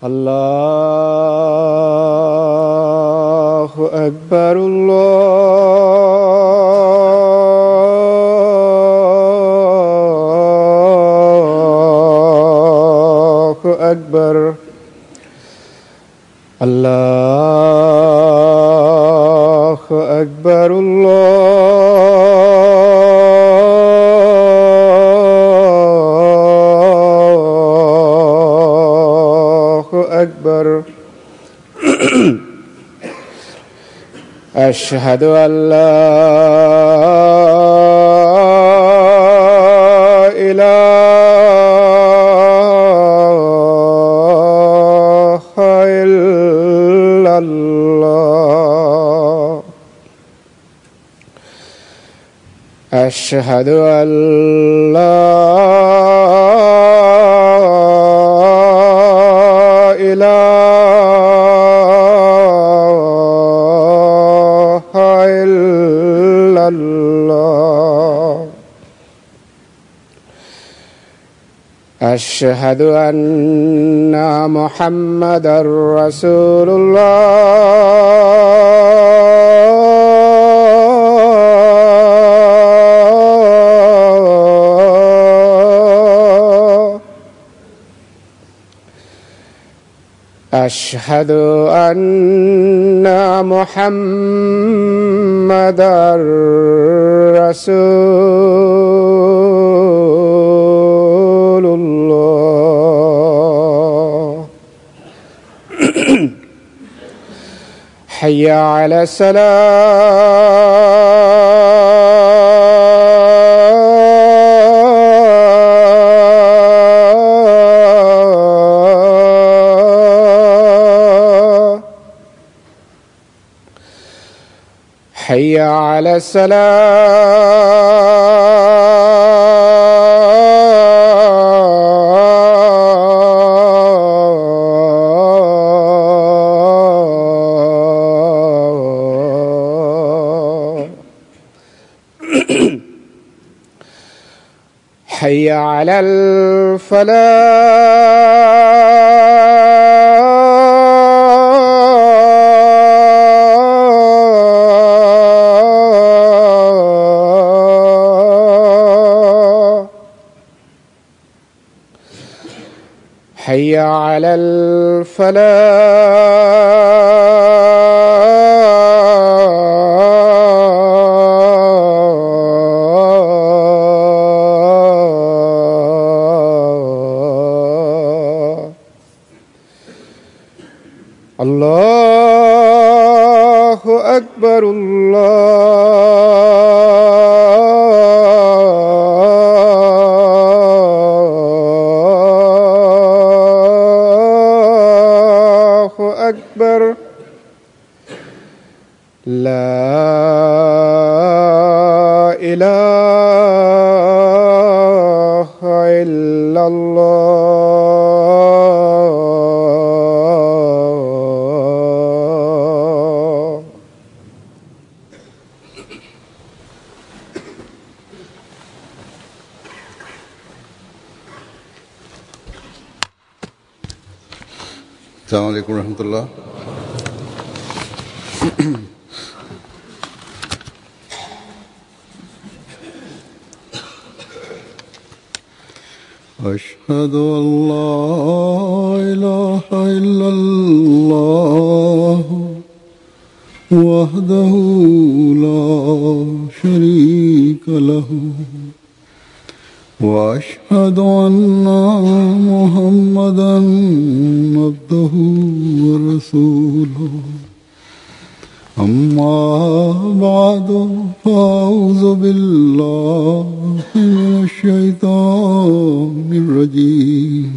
الله أكبر الله أكبر الله أكبر أكبر أشهد أن لا إله إلا الله أشهد أن لا أشهد أن محمدًا رسول الله أشهد أن محمدًا رسول الله حي على الصلاة حي على حي على الفلاح حي على الله أكبر الله أكبر لا إله إلا الله السلام عليكم ورحمة الله. أشهد أن لا إله إلا الله وحده لا شريك له وأشهد أن محمدًا عبده ورسوله أما بعد فأعوذ بالله من الشيطان الرجيم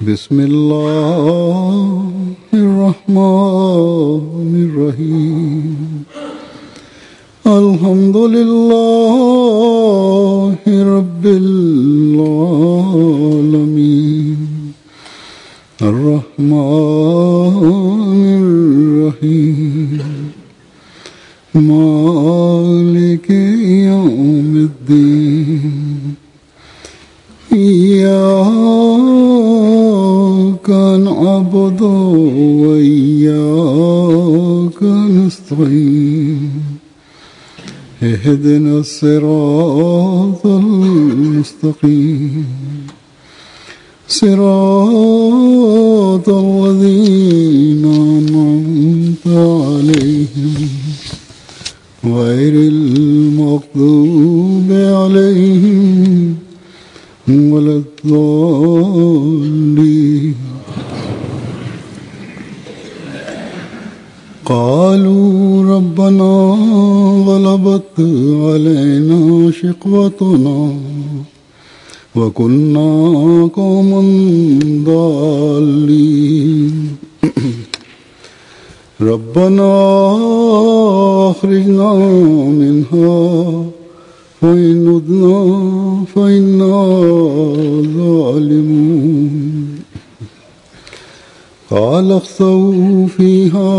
بسم الله الرحمن الرحيم الحمد لله رب العالمين الرحمن الرحيم مالك يوم الدين إياك نعبد وإياك نستعين اهدنا الصراط المستقيم صراط الذين أنعمت عليهم غير المغضوب عليهم ولا الضالين قالوا ربنا غلبت علينا شقوتنا وكنا قوما ضالين ربنا أخرجنا منها فإن عدنا فإنا ظالمون قال اخسئوا فيها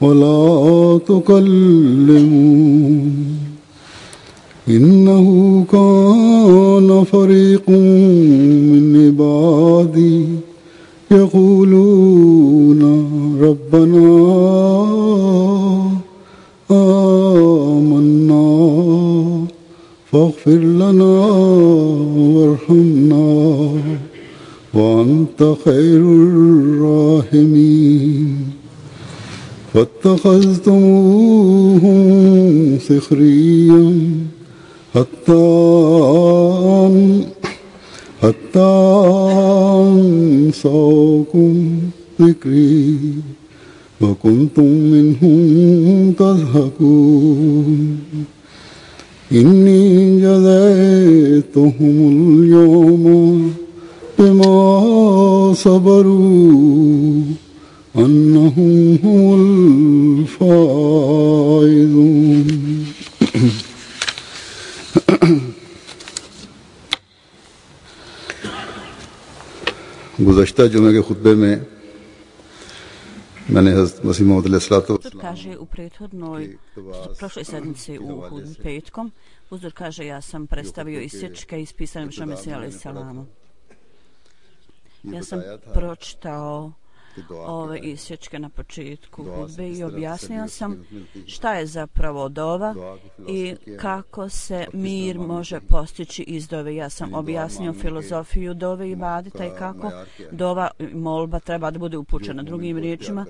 ولا تكلمون إنه كان فريق من عبادي يقولون ربنا آمنا فاغفر لنا وارحمنا وأنت خير الراحمين فاتخذتموهم سخريا حتى أنساكم ذكري وكنتم منهم تضحكون إني جزيتهم اليوم بما صبروا أنهم هم الفائزون गुज़श्ता जुमे के खुतबे में मैंने हज़रत मसीह मौऊद अलैहिस्सलाम kaže u prošloj sedmici u hudbi petkom, uzor kaže ja sam predstavio isječke ispisane Božja Mesija alejselama. Ja sam pročitao ove isječke na početku hudbe i objasnio sam šta je zapravo dova i kako se mir može postići iz dove. Ja sam objasnio filozofiju dove i ibadeta i kako dova molba treba da bude upućena. Drugim riječima,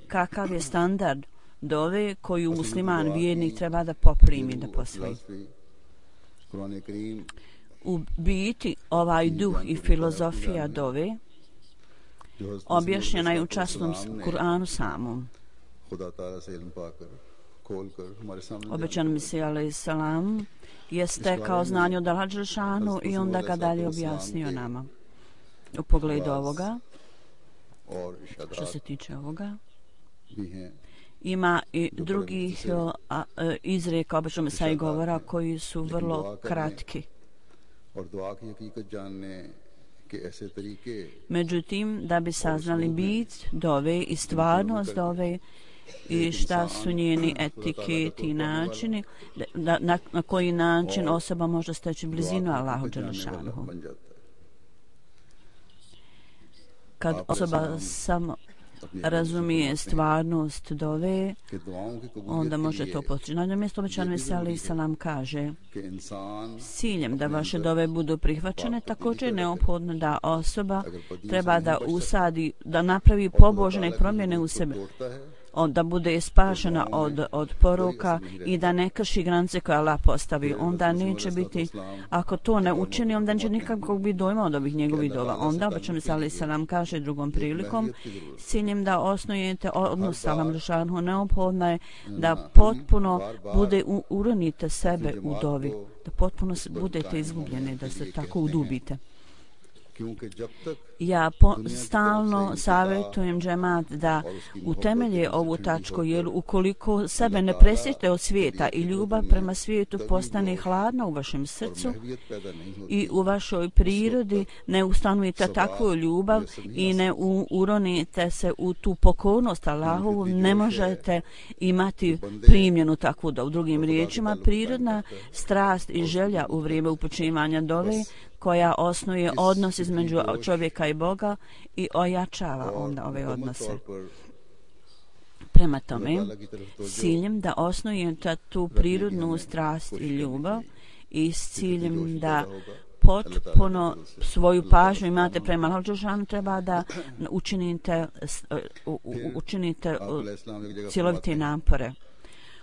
kakav je standard dove koju musliman vjernik treba da poprimi, da posvoji. U biti ovaj duh i filozofija dove objašnjena je u časnom Kur'anu samom. Obećan Mesija alejselam je stekao znanje od Allaha dželešanu i onda ga dalje objasnio nama. U pogledu ovoga, što se tiče ovoga, ima i drugih izreka obećan Mesija govora koji su vrlo kratki. Međutim, da bi saznali bit dove i stvarnost dove i šta su njeni etiketi i načini, na koji način osoba može steći blizinu Allahu dželešanu. Kad osoba samo razumije stvarnost dove, onda može to postići. Na jednom mjestu obećan Mesija alejselam kaže: s ciljem da vaše dove budu prihvaćene, također je neophodno da osoba treba da usadi, da napravi pobožne promjene u sebi, da bude spašena od poroka i da ne krši granice koje Allah postavi. Onda neće biti, ako to ne učini, onda neće nikakvog biti dojma od ovih njegovih dova. Onda obećan Mesija alejselam kaže drugom prilikom: s ciljem da osnujete odnos sa Allahom dželešanu, neophodno je da potpuno uronite sebe u dovi, da potpuno budete izgubljeni, da se tako udubite. Ja stalno savjetujem džemat da utemelje ovu tačku, jer ukoliko sebe ne presjete od svijeta i ljubav prema svijetu postane hladna u vašem srcu i u vašoj prirodi, ne ustanovite takvu ljubav i ne uronite se u tu pokornost Allahovu, ne možete imati primljenu takvu dovu. Drugim riječima, prirodna strast i želja u vrijeme upućivanja dove koja osnuje odnos između čovjeka i Boga i ojačava onda ove odnose. Prema tome, s ciljem da osnujete tu prirodnu strast i ljubav i s ciljem da potpuno svoju pažnju imate prema Allahu dželešanu, treba da učinite cjelovite napore.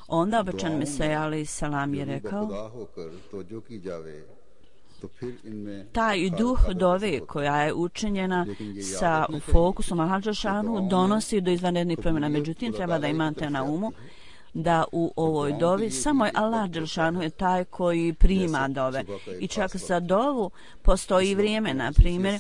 Onda obećan Mesija alejhi selam je rekao: taj duh dove koja je učinjena sa fokusom Allaha dželešanu donosi do izvanrednih promjena. Međutim, treba da imate na umu da u ovoj dovi samo je Allah dželešanu je taj koji prima dove. I čak za dovu postoji vrijeme, na primjer,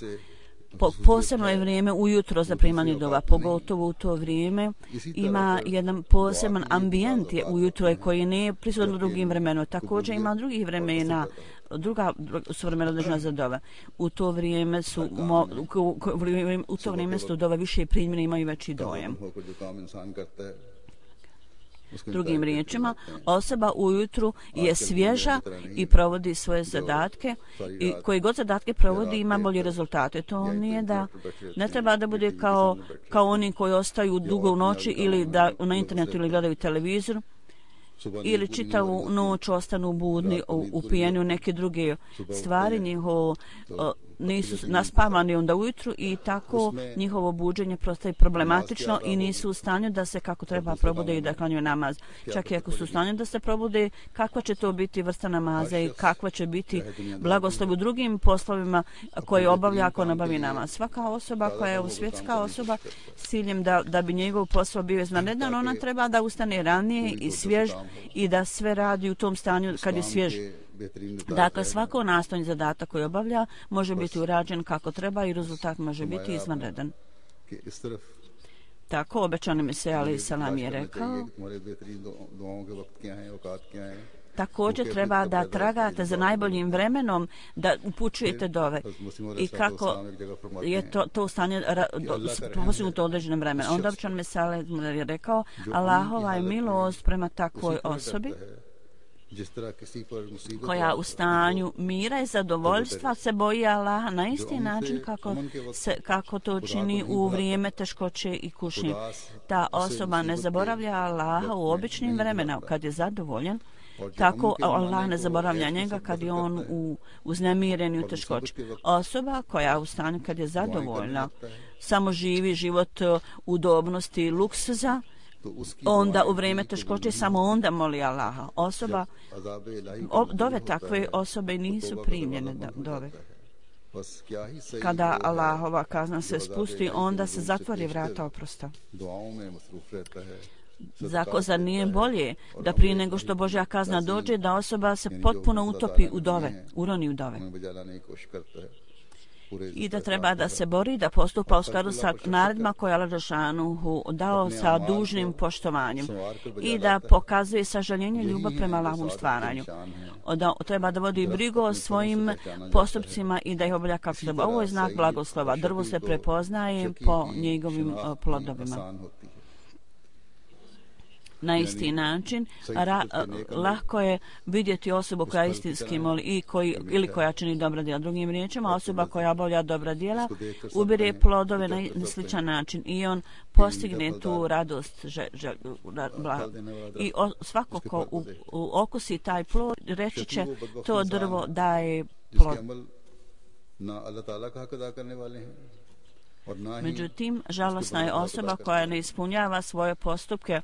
posebno je vrijeme ujutro za primanje dova, pogotovo u to vrijeme ima jedan poseban ambijent ujutro koji nije prisutan u drugim vremenima. Također ima drugih vremena, druga su vremena određena za dove. U to vrijeme su dove više primjene, imaju veći dojem. Drugim riječima, osoba ujutru je svježa i provodi svoje zadatke i koji god zadatke provodi ima bolje rezultate. To nije da ne treba da bude kao oni koji ostaju dugo u noći ili da na internetu ili gledaju televizor ili čitavu noć ostanu budni upijeni u neke druge stvari, njihovo nisu naspavani onda ujutru i tako njihovo buđenje prostaje problematično i nisu u stanju da se kako treba probude i da klanjaju namaz. Čak i ako su u stanju da se probude, kakva će to biti vrsta namaza i kakva će biti blagoslov u drugim poslovima koje obavlja ako nabavi namaz. Svaka osoba koja je svjetska osoba s ciljem da bi njegov posao bio izvanredan, ona treba da ustane ranije i svjež i da sve radi u tom stanju kad je svjež. Dakle, svako nastojni zadatak koji obavlja može biti urađen kako treba i rezultat može biti izvanredan. Tako obećani Mesija alejhi selam je rekao: također treba da tragate za najboljim vremenom da upućujete dove i kako je to stanje postignuto određenom vremenu. Onda obećan Mesija je rekao: Allahova je milost prema takvoj osobi koja u stanju mira i zadovoljstva se boji Allaha na isti način kako to čini u vrijeme teškoće i kušnje. Ta osoba ne zaboravlja Allaha u običnim vremenima kad je zadovoljan, tako Allah ne zaboravlja njega kad je on uznemiren i u teškoći. Osoba koja u stanju kad je zadovoljna samo živi život udobnosti i luksuza, onda u vrijeme teškoće samo onda moli Allaha. Dove takve osobe nisu primljene dove. Kada Allahova kazna se spusti, onda se zatvori vrata oprosta. Zar nije bolje da prije nego što Božja kazna dođe, da osoba se potpuno utopi u dove, uroni u dove? I da treba da se bori, da postupa u skladu sa naredbama koje Allah dželešanu dao sa dužnim poštovanjem i da pokazuje sažaljenje i ljubav prema Allahovom stvaranju. Treba da vodi brigu o svojim postupcima i da ih obavlja kako treba. Ovo je znak blagoslova. Drvo se prepoznaje po njegovim plodovima. Na isti način lahko je vidjeti osobu koja istinski moli ili koja čini dobra djela. Drugim riječima, osoba koja obavlja dobra djela ubire plodove na sličan način i on postigne tu radost i svako ko okusi taj plod reći će to drvo daje plod. Međutim, žalosna je osoba koja ne ispunjava svoje postupke,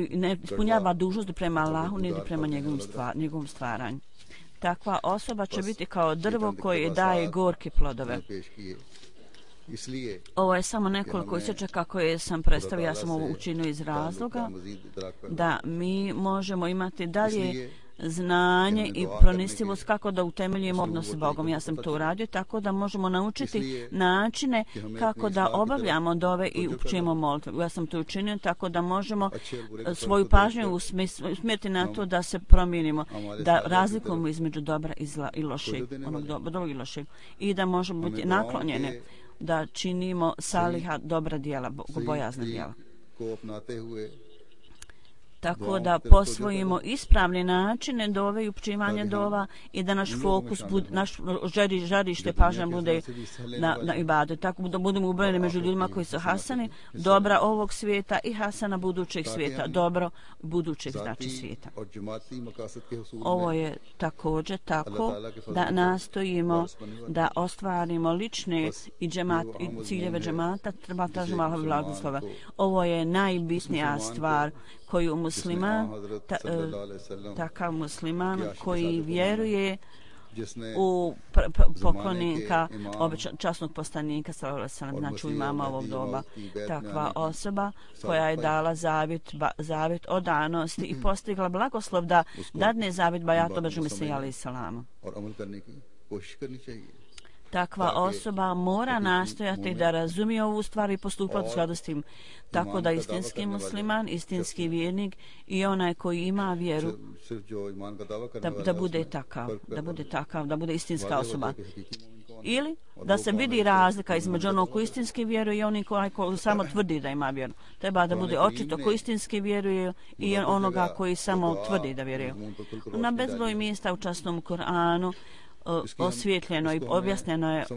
ne ispunjava dužnosti prema Allahu niti prema njegovom stvaranju. Takva osoba će biti kao drvo koje daje gorke plodove. Ovo je samo nekoliko isječaka koje sam predstavio, ja sam ovo učinio iz razloga da mi možemo imati dalje znanje i pronicljivost kako da utemeljimo odnos s Bogom. Ja sam to uradio tako da možemo naučiti načine kako da obavljamo dove i učimo molitvu. Ja sam to učinio tako da možemo svoju pažnju usmjeriti na to da se promijenimo, da razlikujemo između dobra i zla i lošeg, onog dobrog i lošeg, i da možemo biti naklonjeni da činimo saliha dobra djela, bogobojazna djela. Tako da posvojimo ispravne načine dove i učivanje dova i da naš fokus, naš žarište pažnja bude na ibadet. Tako da budemo ubrojeni među ljudima koji su hasani, dobra ovog svijeta i hasana budućeg svijeta, dobro budućeg znači svijeta. Ovo je također tako da nastojimo da ostvarimo lične i ciljeve džemata, treba tražimo Allahov blagoslova. Ovo je najbitnija stvar koju musliman, takav musliman koji vjeruje u poklonika časnog poslanika sallallahu alejhi ve sellem, znači u imama ovog doba, takva osoba koja je dala zavjet o danosti i postigla blagoslov da dadne zavjet bajat obežu Mesija alejhi salamu. Takva osoba mora nastojati da razumije ovu stvar i postupati u skladu s tim. Tako da istinski musliman, istinski vjernik i onaj koji ima vjeru da bude takav, da bude istinska osoba. Ili da se vidi razlika između onog koji istinski vjeruje i onih koji samo tvrdi da ima vjeru. Treba da bude očito koji istinski vjeruje i onoga koji samo tvrdi da vjeruje. Na bezbroj mjesta u časnom Kur'anu osvjetljeno i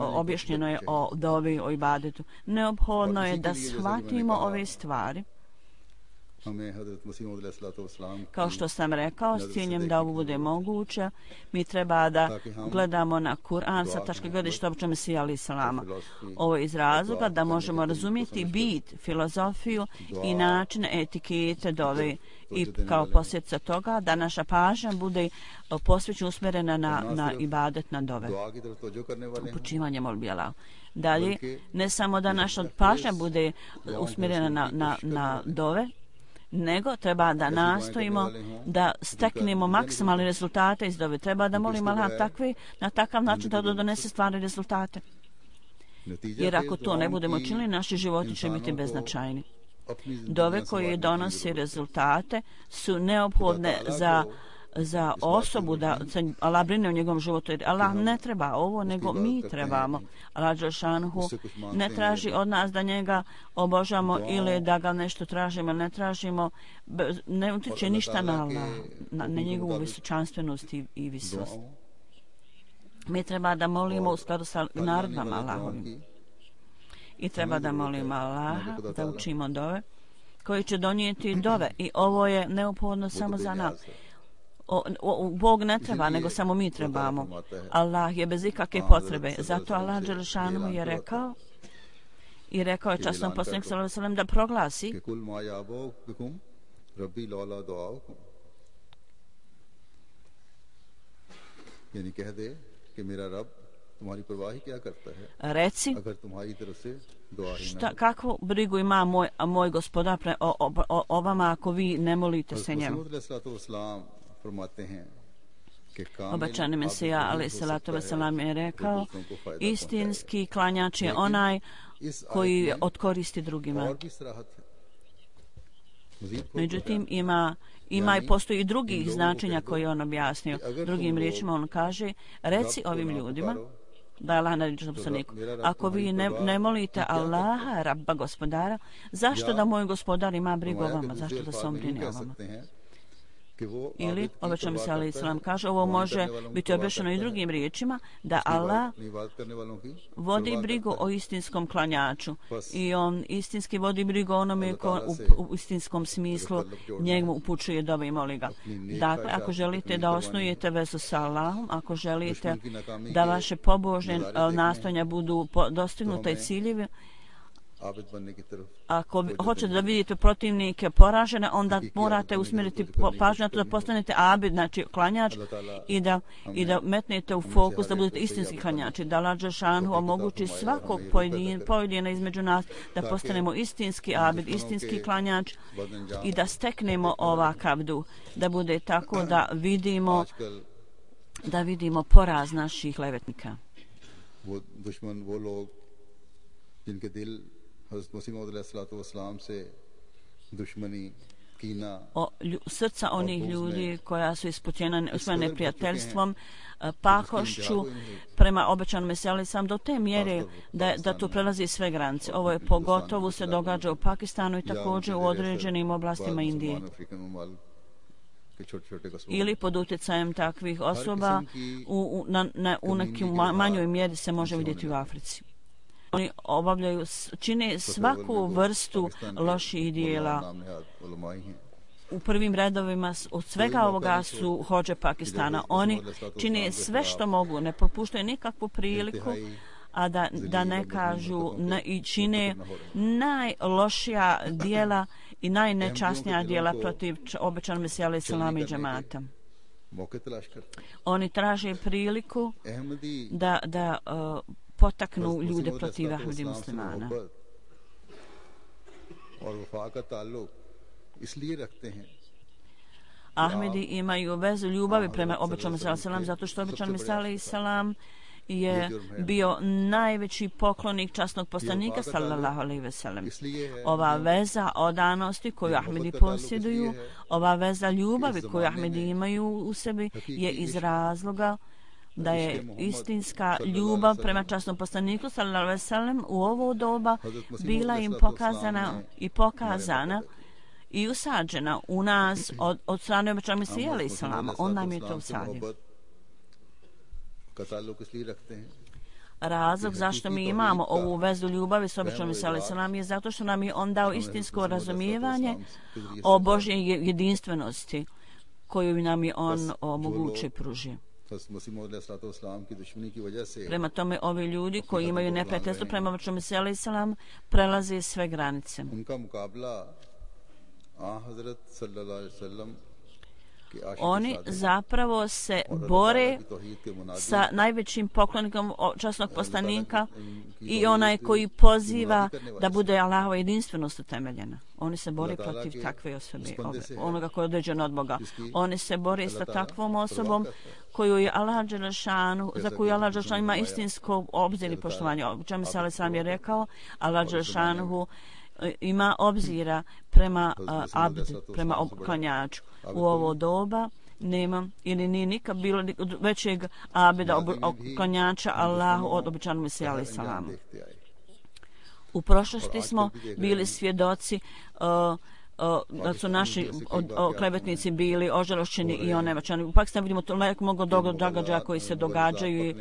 objašnjeno je o dobi, o ibadetu. Neophodno je da shvatimo ove stvari. Kao što sam rekao, s ciljem da ovo bude moguće, mi treba da gledamo na Kur'an sa tačke gledišta običaja Mesija alejhi salama. Ovo je iz razloga da možemo razumjeti bit, filozofiju i način etikete dove i kao posljedica toga da naša pažnja bude posvećena usmjerena na ibadet, na dove, upućivanje molbi Allahu. Dalje, ne samo da naša pažnja bude usmjerena na dove, nego treba da nastojimo da steknemo maksimalne rezultate iz dove. Treba da molimo Allah na takav način da donese stvarne rezultate. Jer ako to ne budemo činili, naši životi će biti beznačajni. Dove koje donose rezultate su neophodne za osobu da se Allah brine o njegovom životu. Jer Allah ne treba ovo, nego mi trebamo. Allah dželšanhu ne traži od nas da njega obožamo ili da ga nešto tražimo, ne tražimo, ne utiče ništa na Allah, na njegovu visočanstvenost i visost. Mi treba da molimo u skladu sa naredbama Allahovim. I treba da molimo Allaha da učimo dove koji će donijeti dove. I ovo je neophodno samo za nas. Bog ne treba, nego samo mi trebamo. Allah je bez ikakve potrebe. Zato Allah dželešanu je rekao i rekao je časnom poslaniku sallallahu alejhi ve sellem da proglasi reci kakvu brigu ima moj gospodar o vama ako vi ne molite se njemu. Obećani Mesija alejhi salatu vesselam je rekao istinski klanjač je onaj koji odkoristi drugima. Međutim ima i postoji i drugih značenja koje on objasnio. Drugim riječima on kaže reci ovim ljudima da je Allah naredio poslaniku. Ako vi ne molite Allaha, Rabba gospodara, zašto da moj gospodar ima brigu o vama? Zašto da se on brine o vama? Ili, obećao mi se alejhi salam kaže, ovo može biti objašnjeno i drugim riječima, da Allah vodi brigu o istinskom klanjaču i on istinski vodi brigu onome ko u istinskom smislu njemu upućuje dove i moli ga. Dakle, ako želite da osnujete vezu sa Allahom, ako želite da vaše pobožne nastojanja budu dostignuta i ciljevi, Abid बनने की तरफ Ako hoćete da vidite protivnike poražene, onda morate usmjeriti pažnju na to da postanete abid, znači klanjač, i da metnete u fokus da budete istinski klanjači, da Allah dželešanu omogući svakog pojedina između nas da postanemo istinski abid, istinski klanjač i da steknemo ovakav duh, da bude tako da vidimo poraz naših klevetnika. वो दुश्मन वो लोग जिनके दिल हज़रत मसीह मौऊद अलैहिस्सलाम से दुश्मनी कीना Srca onih ljudi koja su ispunjena neprijateljstvom, pakošću prema obećanom Mesiji sam do te mjere da to prelazi sve granice. Ovo je pogotovo se događa u Pakistanu i također u određenim oblastima Indije. Ili pod utjecajem takvih osoba u nekim manjoj mjeri se može vidjeti u Africi. Oni čine svaku vrstu loših dijela. U prvim redovima od svega ovoga su hodže Pakistana. Oni čine sve što mogu, ne propuštaju nikakvu priliku, a da ne kažu i čine najlošija dijela i najnečasnija dijela protiv obećanog Mesija alejhi selam i džemata. Oni traže priliku da potaknu ljude protiv Ahmedi muslimana. Ahmedi imaju vezu ljubavi prema obećanom Mesiju alejhi selam zato što obećani Mesija alejhi selam je bio najveći poklonik časnog poslanika sallallahu alejhi ve sellem. Ova veza odanosti koju Ahmedi posjeduju, ova veza ljubavi koju Ahmedi imaju u sebi je iz razloga da je istinska ljubav prema časnom poslaniku sallallahu alejhi ve sellem u ovo doba bila im pokazana i usađena u nas od strane obećanog Mesija alejhi selama. On nam je to usadio. Razlog zašto mi imamo ovu vezu ljubavi s obećanim Mesijom alejhi selam je zato što nam je on dao istinsko razumijevanje o Božje jedinstvenosti koju nam je on omogućio i pružio. Prema tome, ovi ljudi koji imaju neprijateljstvo prema obećanom Mesiji alejhi selam prelaze sve granice. Oni zapravo se bore sa najvećim poklonikom časnog poslanika i onaj koji poziva da bude Allahova jedinstvenost utemeljena. Oni se bore protiv takve osobe, onoga koji je određen od Boga. Oni se bore sa takvom osobom koju je Allah dželešanu, za koju Allah dželešanu ima istinsko obzir i poštovanje. O čemu se sam je rekao, Allah dželešanu ima obzira prema prema klanjaču. U ovo doba nema ili nije nikad bilo većeg abida klanjača Allahu od obećanog Mesija alejhi selam. U prošlosti smo bili svjedoci da su naši klevetnici bili ožalošćeni i onevačani. U Pakistanu vidimo toliko mnogo događaja koji se događaju.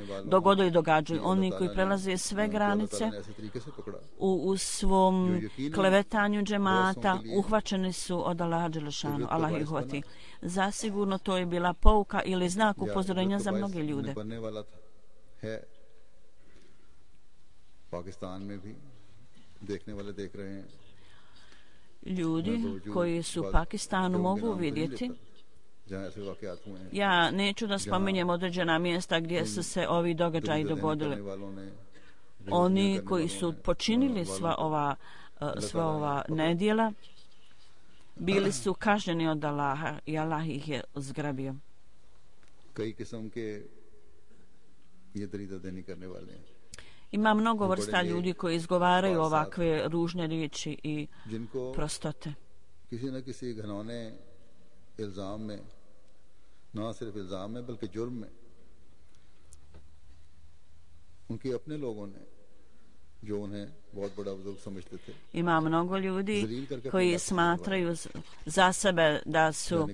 Oni koji prelaze sve granice u svom klevetanju džemata uhvaćeni su od Allaha dželešanu. Allah ih uhvati. Zasigurno to je bila pouka ili znak upozorenja za mnoge ljude. Ljudi koji su u Pakistanu mogu vidjeti. Ja neću da spominjem određena mjesta gdje su se ovi događaji dogodili. Oni koji su počinili sva ova nedjela bili su kažnjeni od Allaha i Allah ih je zgrabio. Ima mnogo vrsta ljudi koji izgovaraju ovakve ružne riječi i prostote. Ima mnogo ljudi koji smatraju za sebe da su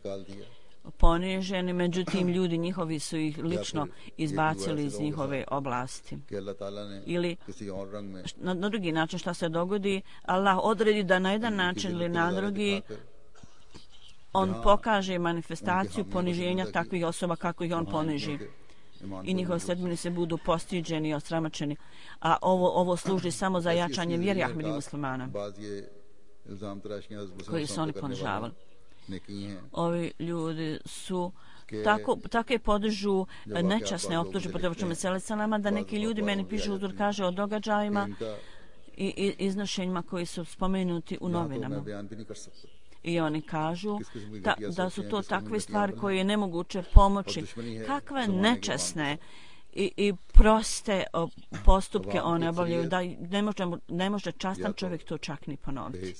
poniženi, međutim ljudi njihovi su ih lično izbacili iz njihove oblasti. Ili na drugi način šta se dogodi, Allah odredi da na jedan način ili na drugi on pokaže manifestaciju poniženja takvih osoba kako ih on poniži. i njihovi sledbenici budu postiđeni i osramačeni, a ovo služi samo za jačanje vjere Ahmedi muslimana koji su oni ponižavali. Ovi ljudi su tako je podižu nečasne optužbe protiv Muhammeda sallallahu da neki ljudi meni pišu, Huzur kaže, o događajima i iznošenjima koji su spomenuti u novinama. I oni kažu da su to takve stvari koje je nemoguće pomoći. Kakve nečasne i proste postupke one obavljaju, da ne može častan čovjek to čak ni ponoviti.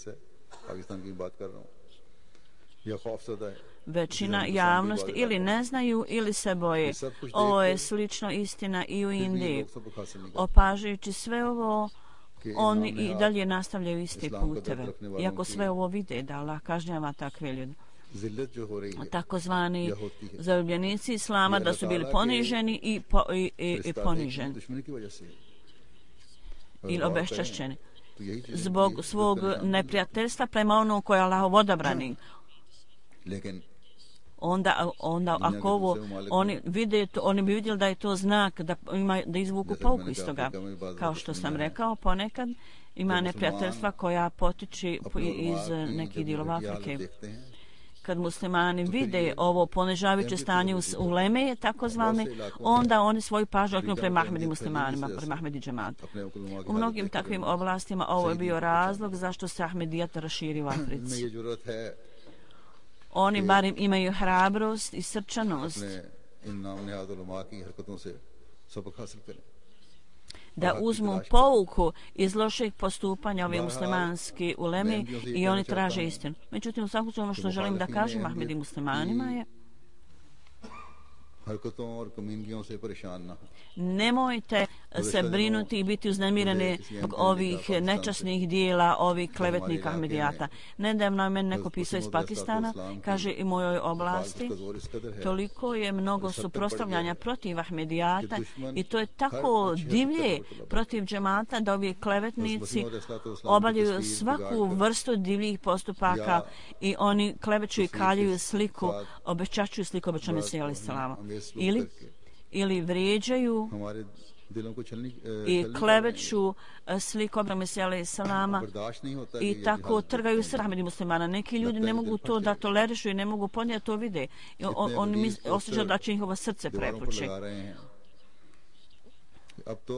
Većina javnosti ili ne znaju ili se boje. Ovo je slično istina i u Indiji. Opažajući sve ovo, oni i dalje nastavljaju iste puteve. Iako sve ovo vide da Allah kažnjava takve ljude. Takozvani zaljubljenici Islama da su bili poniženi i poniženi. Ili obeščašćeni. Zbog svog neprijateljstva prema onom koje je Allahov odabrani. Onda ako ovo oni bi vidjeli da je to znak da izvuku pouku iz toga. Kao što sam rekao, ponekad ima neprijateljstva koja potiče iz nekih dijelova Afrike. Kad muslimani vide ovo ponižavajuće stanje u Leme, takozvani, onda oni svoju pažnju okreću prema Ahmedi muslimanima, prema Ahmedi džematu. U mnogim takvim oblastima ovo je bio razlog zašto se Ahmedijat raširi u Africi. Oni barem imaju hrabrost i srčanost da uzmu pouku iz lošeg postupanja ove muslimanske uleme i oni traže istinu. Međutim, u svakom slučaju ono što želim da kažem Ahmedi muslimanima je nemojte se brinuti i biti uznemireni zbog ovih nečasnih dijela, ovih klevetnika Ahmedijata. Nedavno je meni neko pisao iz Pakistana, kaže i mojoj oblasti, toliko je mnogo suprotstavljanja protiv Ahmedijata i to je tako divlje protiv džemata da ovi klevetnici obavljaju svaku vrstu divljih postupaka i oni kleveću i kaljuju sliku, obečačuju sliku obećanja Mesija alejhi selama. Ili vrijeđaju i kleveću sliku obećanja Mesija alejhi selama i tako trgaju srce Ahmedi muslimana. Neki ljudi ne mogu to da tolerišu i ne mogu podnijeti to vide. Oni osjećaju da će njihovo srce prepući.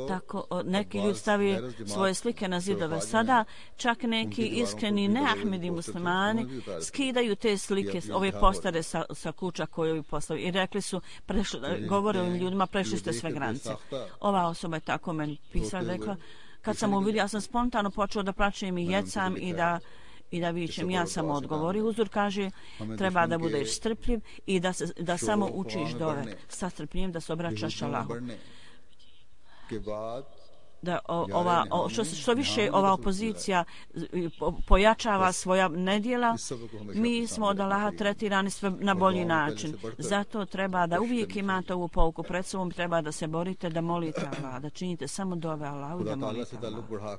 Tako neki ljudi stavljaju svoje slike na zidove. Sada čak neki iskreni neahmedi muslimani skidaju te slike, ove postare sa kuća koje ovi postavili i rekli su, govore ovim ljudima, prešli ste sve granice. Ova osoba je tako meni pisala, rekla, kad sam uvidio, ja sam spontano počeo da plačem i jecam i da vičem. Ja sam odgovorio. Huzur kaže, treba da budeš strpljiv i da samo učiš dove sa strpljenjem, da se obraćaš Allahu. Da što više ova opozicija pojačava svoja nedjela, mi smo od Allaha tretirani sve na bolji način. Zato treba da uvijek imate ovu pouku pred sobom, treba da se borite, da molite Allaha, da činite samo dove Allahu i da molite Allaha.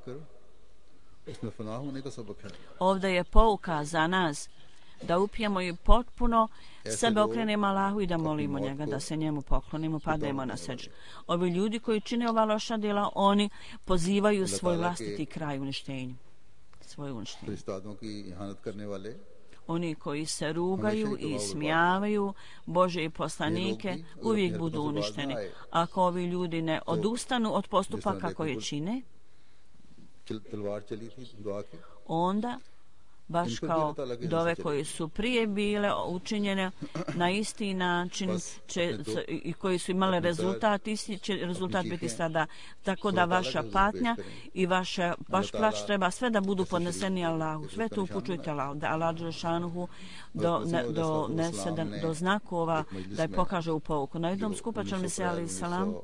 Ovdje je pouka za nas da upijemo i potpuno sebe okrenemo Allahu i da molimo njega, da se njemu poklonimo, pademo na seđu. Ovi ljudi koji čine ova loša djela, oni pozivaju svoj vlastiti kraj uništenju. Svoje uništenje. Oni koji se rugaju i smijavaju Bože i poslanike uvijek budu uništeni. Ako ovi ljudi ne odustanu od postupaka koje čine, onda baš kao dove koje su prije bile učinjene na isti način i koji su imale rezultat, isti će rezultat biti sada. Tako da vaša patnja i vaš plač treba sve da budu podneseni Allahu. Sve to upućujte Allahu, da Allah dželešanuhu donese do znakova da je pokaže u pouku. Na jednom skupaču Mesija alejhi selam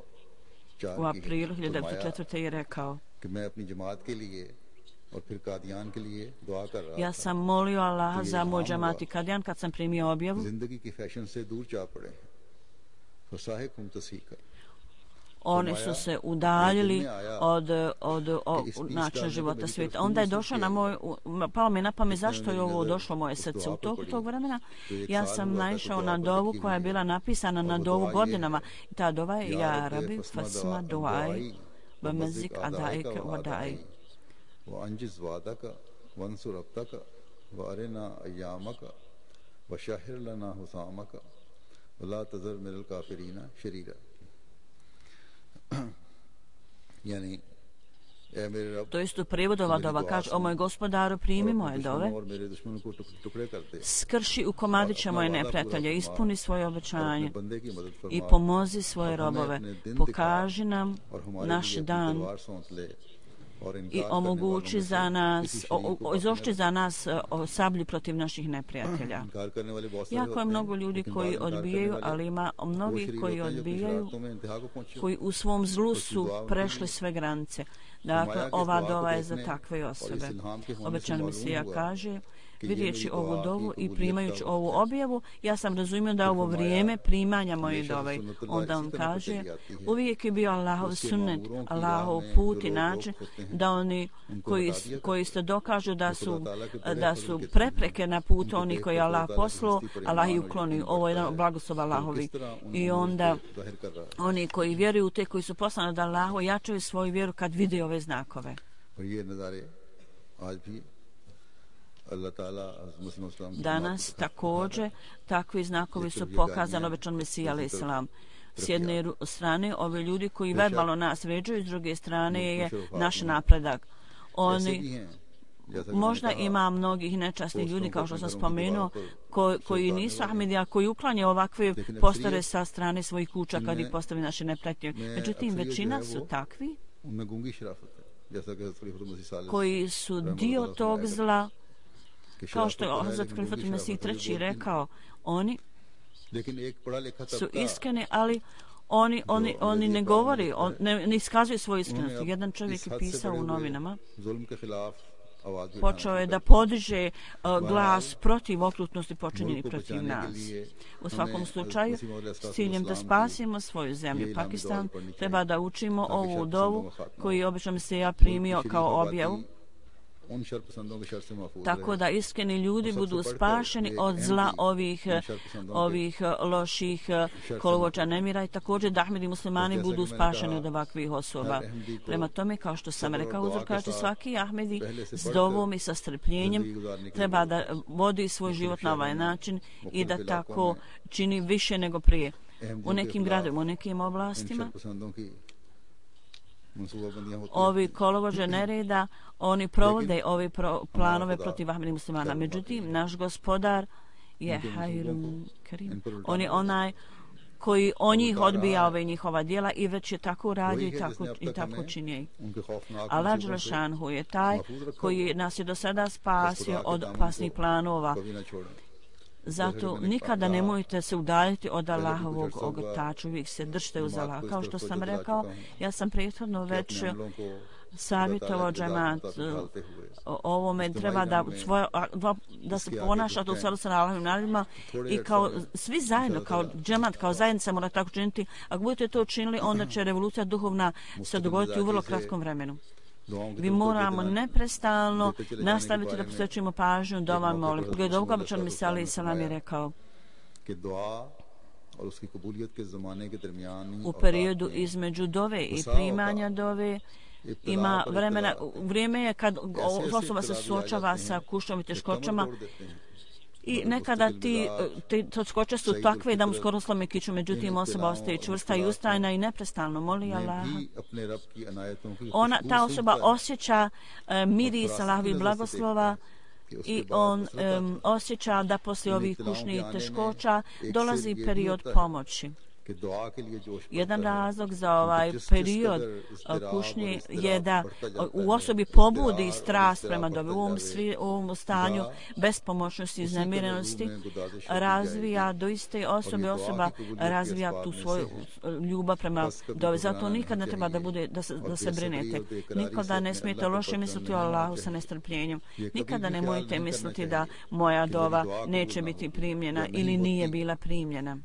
u aprilu 1904. je rekao: ja sam molio Allaha za moj džemat i Kadijan kad sam primio objavu oni su se udaljili od načina života svijeta. Onda je došao palo mi na pamet zašto je ovo došlo moje srce. U toku tog vremena ja sam naišao na dovu koja je bila napisana na dovu godinama. I ta dova je ja rabi fasma duaj bamazik adaik wadai. وأنجز وعدك وانصر عبدك وأرنا أيامك وشهر لنا حسامك ولا تذر من الكافرين شريرا. يعني To isto prevodova dova kaže: o moj gospodaru, primi moje dove, skrši u komadiće moje neprijatelje, ispuni svoje obećanje i pomozi svoje robove, pokaži nam naš dan i omogući za nas, izošći za nas sablju protiv naših neprijatelja. Jako je mnogo ljudi koji odbijaju, ali ima mnogih koji odbijaju, koji u svom zlu su prešli sve granice. Dakle, ova dova je za takve osobe. Obećan Mesija kaže: vidjeći ovu dovu i primajući ovu objavu, ja sam razumio da ovo vrijeme primanja moje dove. Onda on kaže: uvijek je bio Allahov sunnet, Allahov put i način da oni koji se dokažu da su prepreke na putu oni koji je Allah poslao, Allah ih ukloni. Ovo je jedan blagoslov Allahovi. I onda oni koji vjeruju u te koji su poslani od Allaha jačaju svoju vjeru kad vide ove znakove. Danas također takvi znakovi su pokazani obećan Mesija alejhi selam. S jedne strane ovi ljudi koji verbalno nas vređaju, s druge strane je naš napredak. Oni možda ima mnogih nečasnih ljudi, kao što sam spomenuo, koji nisu Ahmedija, koji uklanjaju ovakve postare sa strane svojih kuća kad ih postavi naše neprijatelje. Međutim, većina su takvi koji su dio tog zla, kao što je Hazrat Khalifat Mesih III rekao, oni su iskreni, ali oni ne govori, ne iskazuju svoju iskrenost. Jedan čovjek je pisao u novinama, počeo je da podiže glas protiv okrutnosti počinjenih protiv nas. U svakom slučaju, s ciljem da spasimo svoju zemlju, Pakistan, treba da učimo ovu dovu koju je obično Mesija primio kao objavu, tako da iskreni ljudi budu spašeni od zla ovih loših kolovođa nemira i također da Ahmedi muslimani budu spašeni od ovakvih osoba. Prema tome, kao što sam rekao, uzrokači svaki Ahmedi s dovom i sa strpljenjem treba da vodi svoj život na ovaj način i da tako čini više nego prije. U nekim gradovima, u nekim oblastima ovi kolovođe nereda, oni provode ove planove protiv Ahmedi muslimana. Međutim, naš gospodar je Hayrun Karim. On je onaj koji on njih odbija ove njihova djela i već je tako radio i tako činje. Allah Đelešanhu je taj koji nas je do sada spasio od opasnih planova. Zato nikada nemojte se udaljiti od Allahovog ogotača, uvijek se držite uz Allah. Kao što sam rekao, ja sam prethodno već savjetovao džemat ovome, treba da se ponašate u skladu sa Allahovim naredbama i kao svi zajedno, kao džemat, kao zajednica mora tako činiti. Ako budete to učinili, onda će revolucija duhovna se dogoditi u vrlo kratkom vremenu. Vi moramo neprestalno nastaviti da posvećujemo pažnju dovama molitvi. Glede ovoga obećan Mesija alejhi selam je rekao: u periodu između dove i primanja dove ima vrijeme je kad osoba se suočava sa kušnjom i teškoćama i nekada te teškoće su takve da mu skoro slome kiču, međutim osoba ostaje čvrsta i ustrajna i neprestalno moli Allaha. Ta osoba osjeća miris Allahovih blagoslova i on osjeća da poslije ovih kušnjih teškoća dolazi period pomoći. Jedan razlog za ovaj period kušnje je da u osobi pobudi strast prema dobi. U ovom stanju bespomoćnosti i iznemirenosti razvija do iste osoba razvija tu svoju ljubav prema dobi. Zato nikad ne treba da se brinete. Nikada ne smijete loše misliti o Allahu sa nestrpljenjem. Nikada nemojte misliti da moja dova neće biti primljena ili nije bila primljena.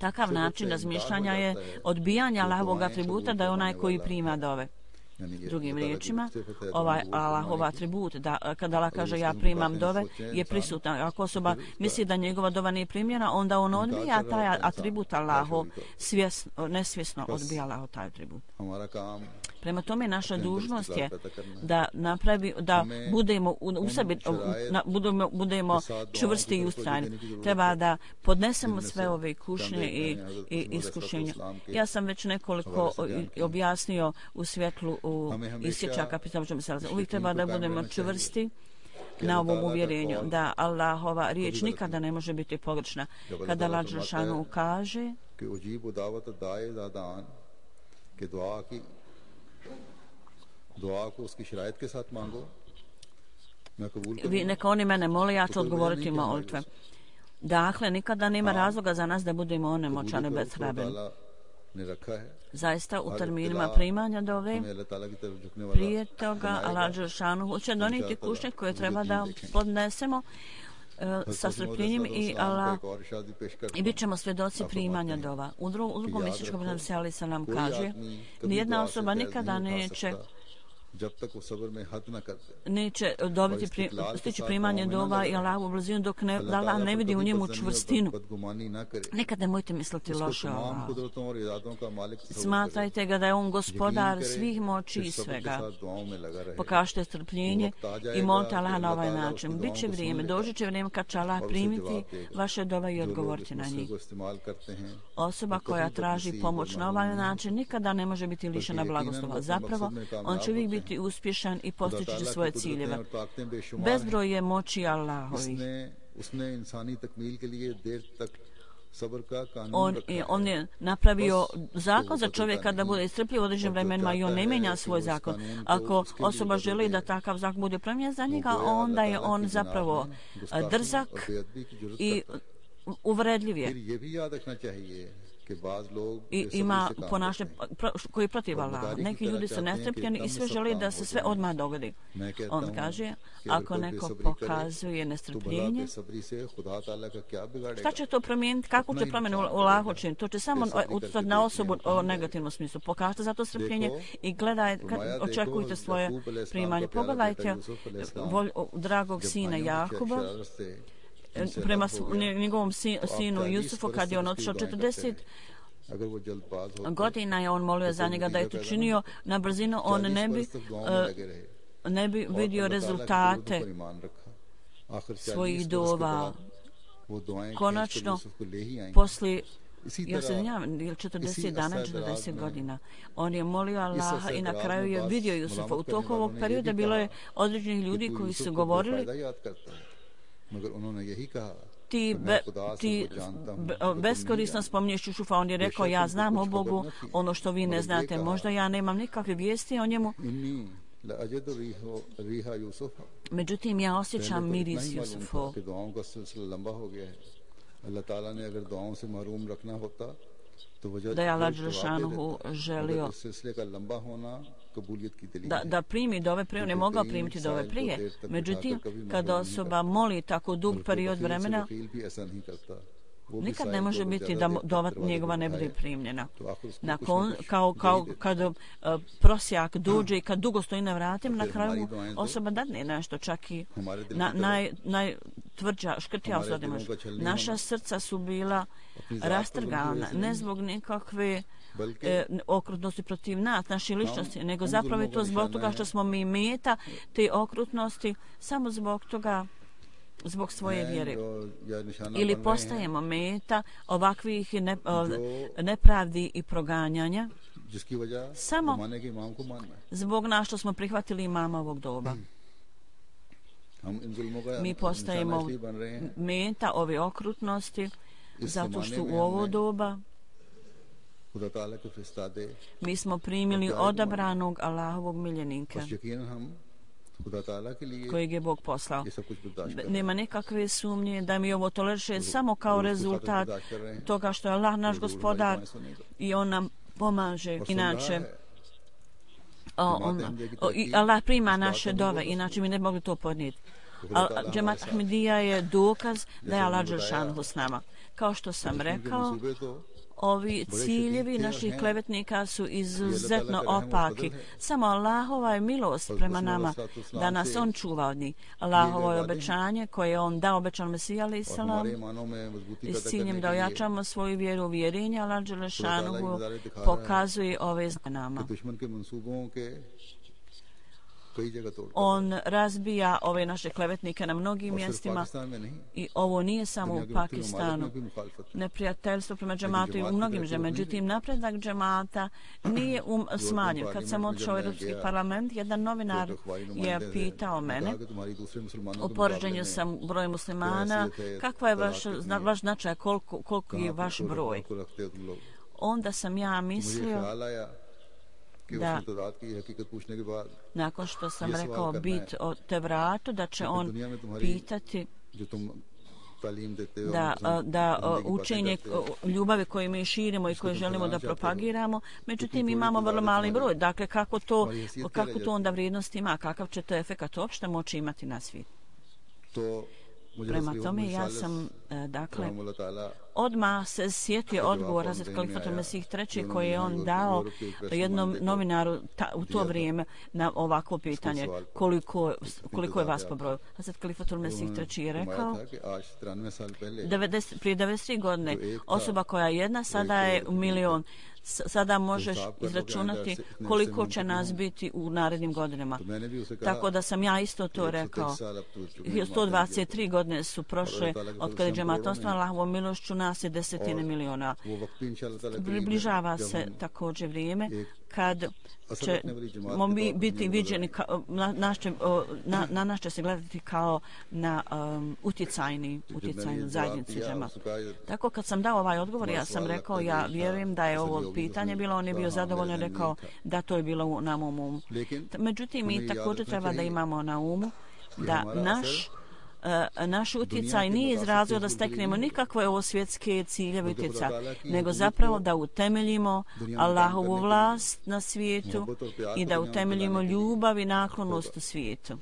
Takav način razmišljanja je odbijanje Allahovog atributa da je onaj koji prima dove. Drugim riječima, ovaj Allahov atribut, da kada Allah kaže ja primam dove, je prisutan. Ako osoba misli da njegova dova nije primljena, onda on odbija taj atribut Allahov, nesvjesno odbija Allahov taj atribut. Prema tome, naša dužnost je da budemo u sebi, budemo čvrsti i ustrajni. Treba da podnesemo sve ove kušnje i iskušenja. Ja sam već nekoliko objasnio u svjetlu isječaka pitanja. Uvijek treba da budemo čvrsti na ovom uvjerenju da Allahova riječ nikada ne može biti pogrešna. Kada Allah dželešanu kaže neka oni mene mole, ja ću odgovoriti molitve. Dakle, nikada nema razloga za nas da budemo onemoćani bezhrabri. Zaista u terminima primanja dove prije toga Allah dželešanu hoće donijeti kušnje koje treba da podnesemo sa strpljenjem i bit ćemo svjedoci primanja dova. U drugom mjesečkom predam se Ali Salam kaže nijedna osoba nikada neće dobiti stići primanje dova i Allahovu blizinu dok Allah ne vidi u njemu čvrstinu. Nekad nemojte misliti loše o Allahu. Smatrajte ga da je on gospodar svih moći i svega. Pokažite strpljenje i molite Allaha na ovaj način. Biće vrijeme, doći će vrijeme kad će Allah primiti vaše dove i odgovoriti na njih. Osoba koja traži pomoć na ovaj način nikada ne može biti lišena blagoslova. Zapravo, on će uvijek biti uspješan i postići će svoje ciljeve. Bezbroj je moći Allahovi. On je napravio zakon za čovjeka da bude strpljiv u određenim vremenima i on ne mijenja svoj zakon. Ako osoba želi da takav zakon bude promijenjen za njega, onda je on zapravo drzak i uvredljiv je. I ima ponašanje koji je protiv Allaha. Neki ljudi su nestrpljeni i sve žele da se sve odmah dogodi. On kaže, ako neko pokazuje nestrpljenje, šta će to promijeniti? Kako će promjenu u Allahu činiti? To će samo utjecati na osobu u negativnom smislu. Pokažite za to strpljenje i očekujte svoje primanje. Pogledajte dragog sina Jakuba prema njegovom sinu Jusufu kad je on otišao 40 godina je on molio za njega da je to činio na brzinu, on ne bi vidio rezultate svojih dova. Konačno, poslije 40 dana, 40 godina. On je molio Allaha i na kraju je vidio Jusufa. U toku ovog perioda bilo je određenih ljudi koji su govorili ti beskorisno spominješ Jusufa. On je rekao, ja znam o Bogu ono što vi ne znate. Možda ja nemam nikakve vijesti o njemu. Međutim, ja osjećam miris Jusufov. Da je Allah dželešanu želio da primi dove prije, on je mogao primiti dove prije. Međutim, kada osoba moli tako dug period vremena, nikad ne može biti da dova njegova ne bude primljena. Kao kada prosjak dođe i kad dugo stoji na vratima, na kraju mu osoba dadne nešto, čak i najtvrđa, škrtija osoba. Naša srca su bila rastrgana, ne zbog nikakve okrutnosti protiv nas, naše ličnosti, nego zapravo je to zbog toga što smo mi meta te okrutnosti, samo zbog toga, zbog svoje vjere. Ili postajemo meta ovakvih nepravdi i proganjanja samo zbog nas što smo prihvatili imama ovog doba. Mi postajemo meta ove okrutnosti zato što u ovo doba mi smo primili odabranog Allahovog miljenika kojeg je Bog poslao. Nema nekakve sumnje da mi ovo toleriše samo kao rezultat toga što je Allah naš gospodar i on nam pomaže. Inače, Allah prima naše dove, inače mi ne mogli to podnijeti. Džemat Ahmedija je dokaz da je Allah dželešanu s nama. Kao što sam rekao, Ovi ciljevi naših klevetnika su izuzetno opaki. Samo Allahova je milost prema nama da nas on čuva od njih. Allahovo je obećanje koje je on dao obećan Mesija alejhi selam i s ciljem da ojačamo svoju vjeru u uvjerenje. Allah dželešanuhu pokazuje ove nama. On razbija ove naše klevetnike na mnogim mjestima i ovo nije samo u Pakistanu. Neprijateljstvo prema džematu i u mnogim zemljama. Međutim, napredak džemata nije smanjen. Kad sam odšao u Europski parlament, jedan novinar je pitao mene u poređenju sa brojem muslimana kakva je vaš značaj, koliko je vaš broj. Onda sam ja mislio da nakon što sam rekao bit o Tevratu, da će on pitati da učenje ljubavi koje mi širimo i koje želimo da propagiramo, međutim imamo vrlo mali broj. Dakle, kako to onda vrijednost ima, kakav će to efekat uopšte moći imati na svijet? Prema tome ja sam dakle odmah se sjetio odgovora za Kalifatul Mesih III koji je on dao jednom novinaru u to vrijeme na ovakvo pitanje koliko je vas po broju. Hazrat Kalifatul Mesih III je rekao prije 93 godine osoba koja je jedna sada je milion. Sada možeš izračunati koliko će nas biti u narednim godinama. Tako da sam ja isto to rekao. 123 godine su prošle od kada je džemat osnovan, Allahovom milošću nas je desetine miliona. Približava se također vrijeme kad ćemo biti viđeni, na nas će se gledati kao na utjecajnu zajednicu džemata. Tako kad sam dao ovaj odgovor, ja sam rekao, ja vjerujem da je ovo pitanje bilo, on je bio zadovoljan, rekao da to je bilo na mom umu. Međutim, mi također treba da imamo na umu da naš utjecaj nije iz razloga da steknemo nikakve ovo svjetske ciljeve utjecaja, nego zapravo da utemeljimo Allahovu vlast na svijetu i da utemeljimo ljubav i naklonost u svijetu.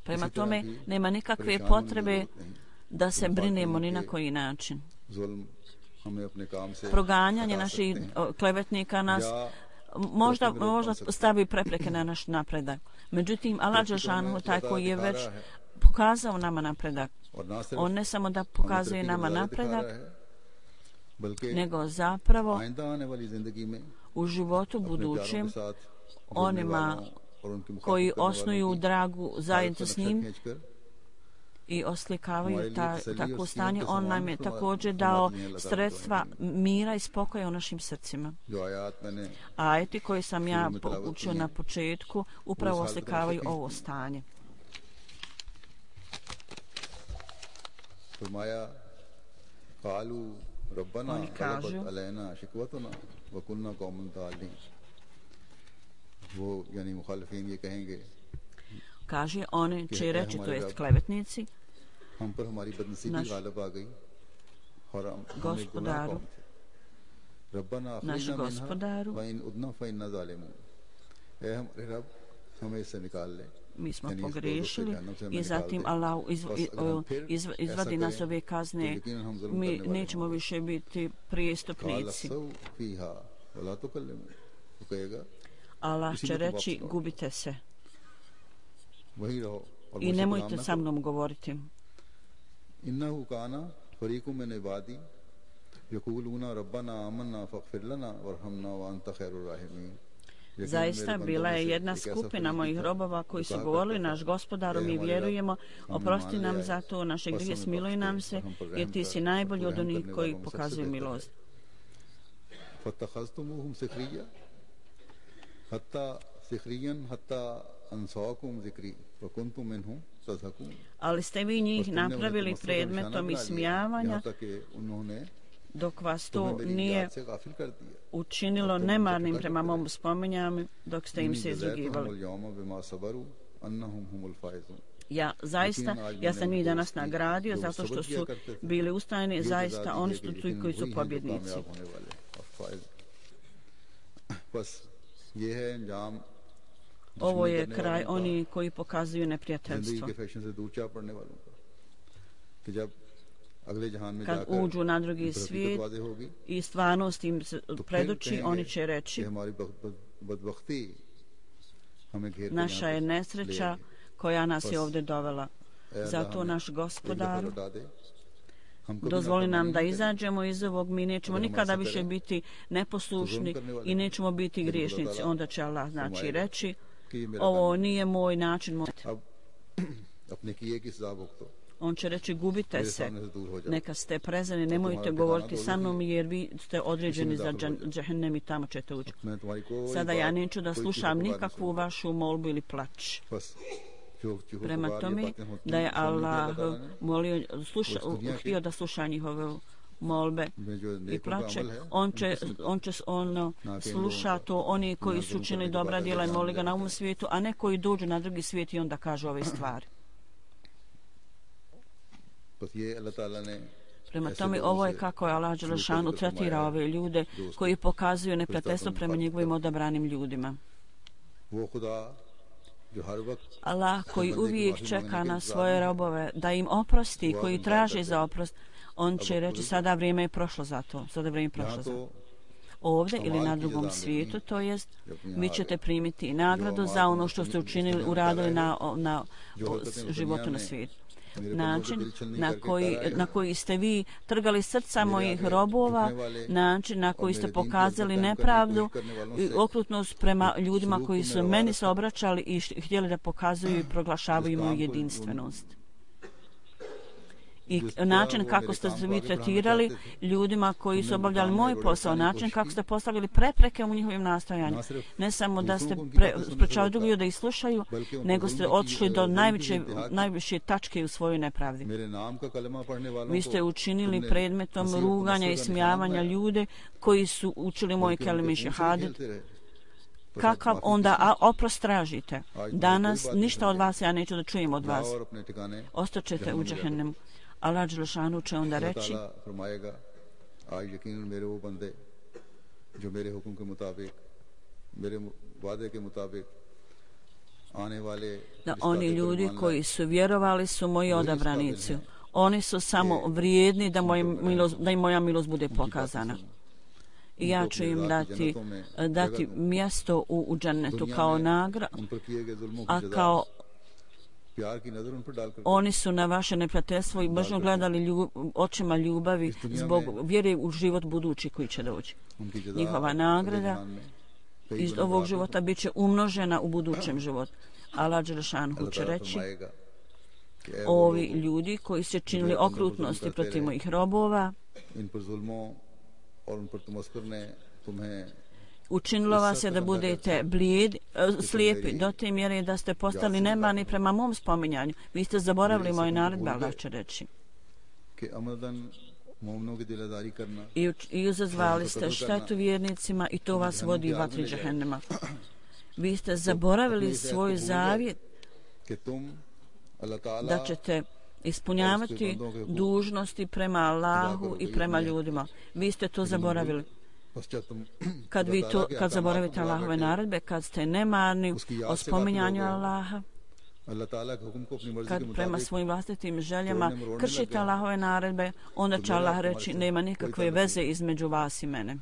Prema tome, nema nikakve potrebe da se brinemo ni na koji način. Proganjanje naših klevetnika nas možda stavi prepreke na naš napredak. Međutim, Allah dželešanu taj koji je već pokazao nama napredak. On ne samo da pokazuje nama napredak, nego zapravo u životu budućem onima koji osnuju dragu zajedno s njim i oslikavaju takvo stanje, on nam je također dao sredstva mira i spokoja u našim srcima. Ajeti koji sam ja učio na početku upravo oslikavaju ovo stanje. Oni kažu kaže, oni će reći, to jest klevetnici, naš gospodaru, mi smo pogriješili i zatim Allah izvadi nas ove kazne, mi nećemo više biti prijestupnici. Allah će reći, gubite se i nemojte sa mnom govoriti. Innahu kana fariqun min ibadi yaquluna rabbana amanna faghfir lana warhamna wa anta khairur rahimin. Zaista bila je jedna skupina mojih robova koji su govorili, naš gospodaru, mi vjerujemo, oprosti nam za to, naše grijehe smiluj nam se, jer ti si najbolji od onih koji pokazuju milost. Fatakhaztumuhum sikhriyan hatta ansaakum zikri wa kuntum minhum tadhakun. Ali ste vi njih napravili predmetom ismijavanja, dok vas to nije učinilo nemarnim prema mom spominjanju, dok ste im se izrugivali. Ja sam njih danas nagradio zato što su bili ustajni, zaista oni su ti koji su pobjednici. Ovo je kraj oni koji pokazuju neprijateljstvo. kad uđu na drugi svijet i stvarnost im se predoči, oni će reći: naša je nesreća koja nas je ovdje dovela. Zato naš Gospodaru, dozvoli nam da izađemo iz ovog, mi nećemo nikada više biti neposlušni i nećemo biti griješnici. Onda će Allah znači reći: ovo nije moj način. On će reći: gubite se, neka ste prezreni, nemojte govoriti sa mnom jer vi ste određeni za džehennem i tamo ćete ući. Sada ja neću da slušam nikakvu vašu molbu ili plač. Prema tome da je Allah molio, htio da sluša njihove molbe i plače, on će sluša to oni koji su učinili dobra djela i moli ga na ovom svijetu, a ne koji dođu na drugi svijet i onda kažu ove stvari. Prema tome, ovo je kako je Allah dželešanu tretira ove ljude koji pokazuju neprijateljstvo prema njegovim odabranim ljudima. Allah koji uvijek čeka na svoje robove da im oprosti, koji traže za oprost, on će reći: sada vrijeme je prošlo za to, sada vrijeme je prošlo za to. Ovdje ili na drugom svijetu, to jest vi ćete primiti nagradu za ono što ste učinili, uradili na životu na svijetu. Način na koji ste vi trgali srca mojih robova, način na koji ste pokazali nepravdu i okrutnost prema ljudima koji su meni se obraćali i htjeli da pokazuju i proglašavaju moju jedinstvenost. I način kako ste se vi tretirali ljudima koji su obavljali moj posao, način kako ste postavili prepreke u njihovim nastojanjima. Ne samo da ste sprečavali drugi da ih slušaju, nego ste otišli do najviše tačke u svojoj nepravdi. Vi ste učinili predmetom ruganja i smijavanja ljude koji su učili moj kelime šehadet. Kakav onda oprost tražite? Danas ništa od vas ja neću da čujem od vas. Ostaćete u džehennemu. Allah dželešanu će onda reći: da oni ljudi koji su vjerovali su moji odabranici. Oni su samo vrijedni da im moja milost bude pokazana. I ja ću im dati mjesto u džennetu kao nagradu, a kao oni su na vaše neprijateljstvo i mržnju gledali očima ljubavi zbog vjere u život budući koji će doći. Njihova nagrada iz ovog života bit će umnožena u budućem životu. Allah dželešanu će reći: ovi ljudi koji su činili okrutnosti protiv mojih robova, učinilo vas je da budete slijepi do te mjere da ste postali nemarni prema mom spominjanju. Vi ste zaboravili moje naredbe, Allah će reći. I izazvali ste štetu vjernicima i to vas vodi u vatri džehennema. Vi ste zaboravili svoj zavjet da ćete ispunjavati dužnosti prema Allahu i prema ljudima. Vi ste to zaboravili. Kad zaboravite Allahove naredbe, kad ste nemarni o spominjanju Allaha, kad prema svojim vlastitim željama kršite Allahove naredbe, onda će Allah reći: nema nikakve veze između vas i mene.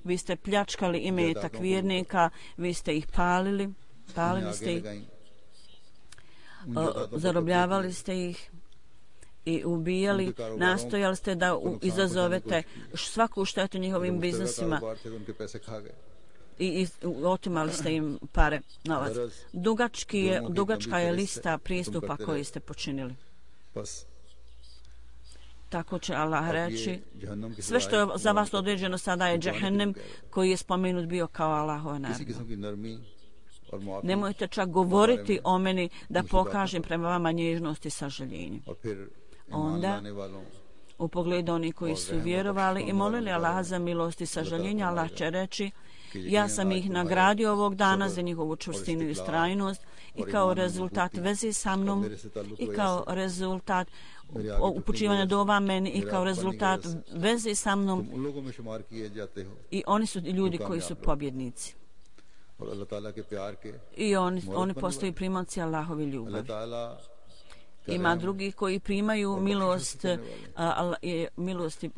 Vi ste pljačkali imetak vjernika, vi ste ih palili ste ih, zarobljavali ste ih i ubijali, nastojali ste da izazovete svaku štetu njihovim biznisima i otimali ste im pare, novac. Dugačka je lista pristupa koji ste počinili. Tako će Allah reći: sve što je za vas određeno sada je džehennem koji je spomenut bio kao Allahove naredbe. Nemojte čak govoriti o meni da pokažem prema vama nježnost i sažaljenje. Onda, u pogledu onih koji su vjerovali i molili Allaha za milost i sažaljenje, Allah će reći: ja sam ih nagradio ovog dana za njihovu čvrstinu i ustrajnost i kao rezultat veze sa mnom i kao rezultat upućivanja dova meni i kao rezultat veze sa mnom, i oni su ljudi koji su pobjednici. I oni postaju primaoci Allahovi ljubavi. Ima drugi koji primaju milosti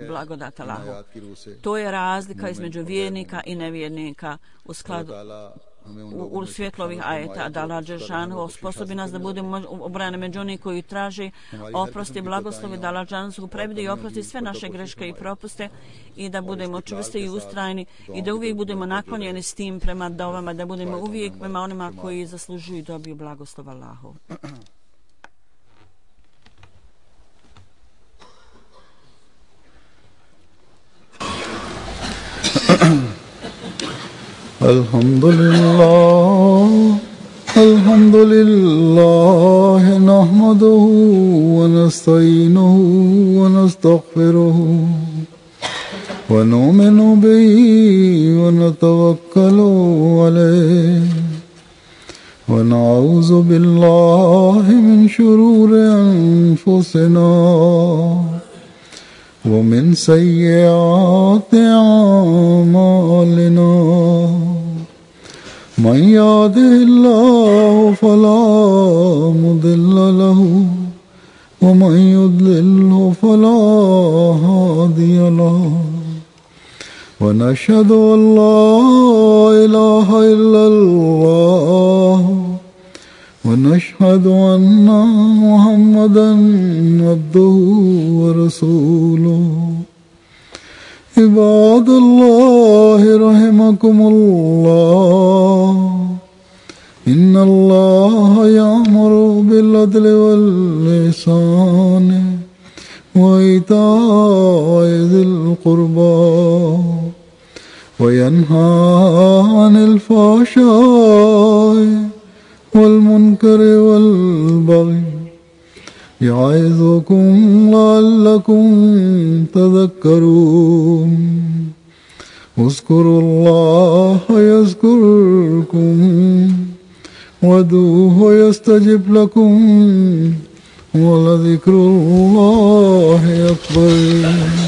blagodat Allahu. To je razlika između vjernika i nevjernika u skladu u svjetlu ovih ajeta, da Allah dželešanu osposobi nas da budemo obrane među oni koji traže oprosti, blagoslovi, da Allah dželešanu prebudi i oprosti sve naše greške i propuste i da budemo čvrsti i ustrajni i da uvijek budemo naklonjeni s tim prema dovama, da budemo uvijek prema onima koji zaslužuju i dobiju blagoslov Allahu. الحمد لله نحمده ونستعينه ونستغفره ونؤمن به ونتوكل عليه ونعوذ بالله من شرور أنفسنا ومن سيئات أعمالنا من يهده الله فلا مضل له ومن يضلله فلا هادي له ونشهد أن لا إله إلا الله ونشهد أن محمدا عبده ورسوله عباد الله رحمكم الله إن الله يأمر بالعدل والإحسان وإيتاء ذي القربى وينهى عن الفحشاء والمنكر والبغي يعظكم لعلكم تذكرون اذكروا الله يذكركم وادعوه يستجب لكم ولذكر الله أكبر